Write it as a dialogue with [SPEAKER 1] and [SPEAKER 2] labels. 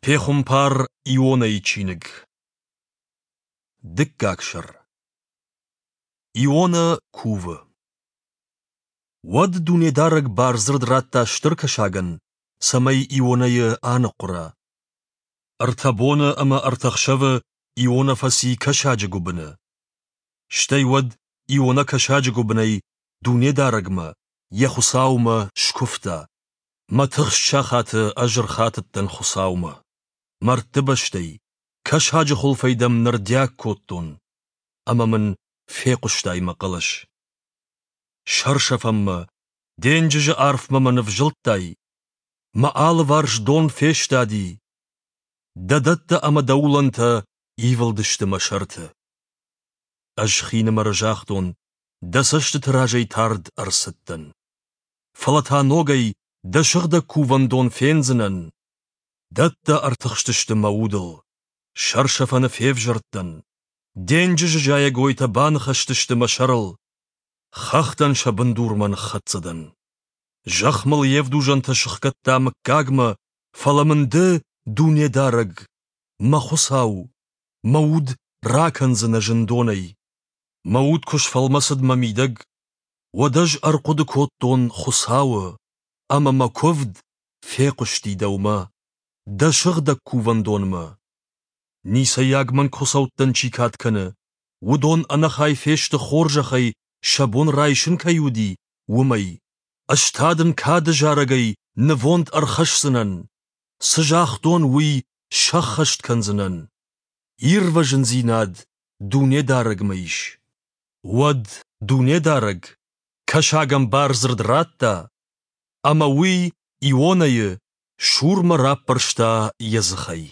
[SPEAKER 1] Пехуымпар Ионӕйы чиныг. Дыккаг сӕр. Ионӕ кувы. Уӕд Дунедарӕг бардзырд радта стыр кӕсагӕн, цӕмӕй Ионӕйы аныхъуыра. Ӕртӕ боны ӕмӕ ӕртӕ хсӕвы Ионӕ фӕци кӕсаджы гуыбыны. Стӕй уӕд Ионӕ кӕсаджы гуыбынӕй Дунедарӕгмӕ, йӕ Хуыцаумӕ, скуывта. Мӕ тыхст сахаты ӕз ӕрхатыдтӕн Хуыцаумӕ. Мӕрдты бӕстӕй, кӕсаджы хуылфӕй дӕм нырдиаг кодтон, ӕмӕ мын фехъуыстай мӕ хъӕлӕс. Сӕрсӕфӕнмӕ, денджызы арфмӕ мӕ нывзылдтай, мӕ алыварс дон фестади, дӕ дӕттӕ ӕмӕ дӕ улӕнтӕ ивылдысты мӕ сӕрты. Ӕз хинымӕры загътон, дӕ цӕстыты разӕй тард ӕрцыдтӕн. Фӕлӕ та ногӕй дӕ сыгъдӕг кувӕндон фендзынӕн. Дӕттӕ ӕртыхстысты мӕ удыл. Сӕрсӕфӕны февзӕрдтӕн. Денджызы зайӕгойтӕ баныхӕстысты мӕ сӕрыл. Хӕхтӕн сӕ бындурмӕ ныххӕццӕ дӕн. Зӕхх мыл йе вдузӕнтӕ сыхгӕдта мыггагмӕ, фӕлӕ мын ды, Дунедарӕг, мӕ Хуыцау, мӕ уд ракӕндзынӕ зындонӕй. Мӕ уд куы сфӕлмӕцыд мӕ мидӕг, уӕд ӕз ӕрхъуыды кодтон Хуыцауы, ӕмӕ мӕ куывд фехъуысти дӕумӕ, дӕ сыгъдӕг кувӕндонмӕ. Ницӕйаг мӕнгхуыцӕуттӕн чи кад кӕны, уыдон ӕнӕхай фесты хорзӕхӕй сӕ бон райсын кӕй уыди, уымӕй. Ӕз та дын кады зарӕгӕй нывонд ӕрхӕсдзынӕн, цы загътон, уый сӕххӕст кӕндзынӕн. Ирвӕзындзинад Дунедарӕгмӕ ис. Уӕд Дунедарӕг кӕсагӕн бардзырд радта, ӕмӕ уый Ионӕйы сурмӕ раппӕрста йӕ дзыхӕй.